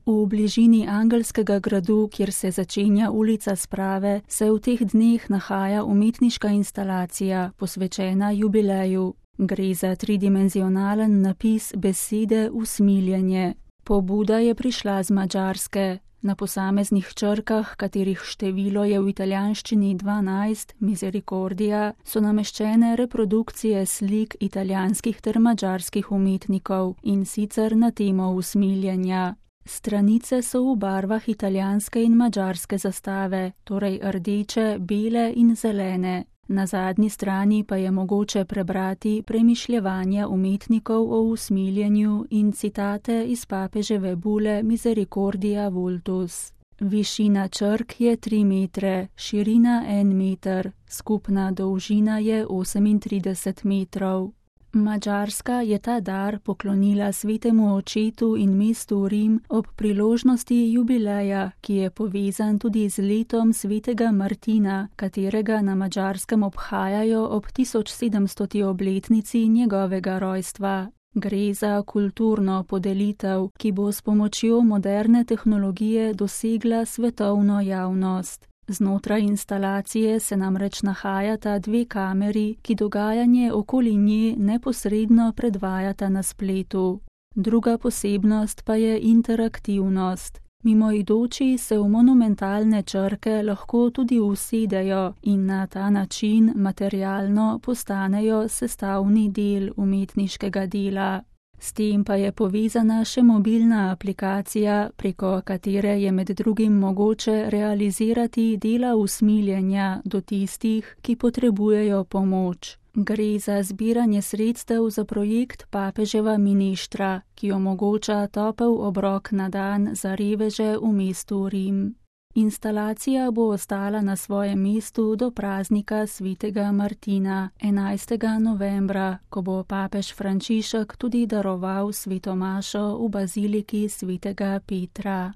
V bližini Angelskega gradu, kjer se začenja ulica Sprave, se v teh dneh nahaja umetniška instalacija, posvečena jubileju. Gre za tridimenzionalen napis besede usmiljenje. Pobuda je prišla z Madžarske. Na posameznih črkah, katerih število je v italijanščini 12, Misericordia, so nameščene reprodukcije slik italijanskih ter madžarskih umetnikov, in sicer na temo usmiljenja. Stranice so v barvah italijanske in madžarske zastave, torej rdeče, bele in zelene. Na zadnji strani pa je mogoče prebrati premišljevanja umetnikov o usmiljenju in citate iz papeževe bule Misericordia Vultus. Višina črk je 3 metre, širina 1 meter, skupna dolžina je 38 metrov. Madžarska je ta dar poklonila svetemu očetu in mestu Rim ob priložnosti jubileja, ki je povezan tudi z letom svetega Martina, katerega na Madžarskem obhajajo ob 1700. obletnici njegovega rojstva. Gre za kulturno podelitev, ki bo s pomočjo moderne tehnologije dosegla svetovno javnost. Znotraj instalacije se namreč nahajata 2 kameri, ki dogajanje okoli nje neposredno predvajata na spletu. Druga posebnost pa je interaktivnost. Mimoidoči se v monumentalne črke lahko tudi usedejo in na ta način materialno postanejo sestavni del umetniškega dela. S tem pa je povezana še mobilna aplikacija, preko katere je med drugim mogoče realizirati dela usmiljenja do tistih, ki potrebujejo pomoč. Gre za zbiranje sredstev za projekt Papeževa mineštra, ki omogoča topel obrok na dan za reveže v mestu Rim. Instalacija bo ostala na svojem mestu do praznika svetega Martina, 11. novembra, ko bo papež Frančišek tudi daroval svetomašo v baziliki svetega Petra.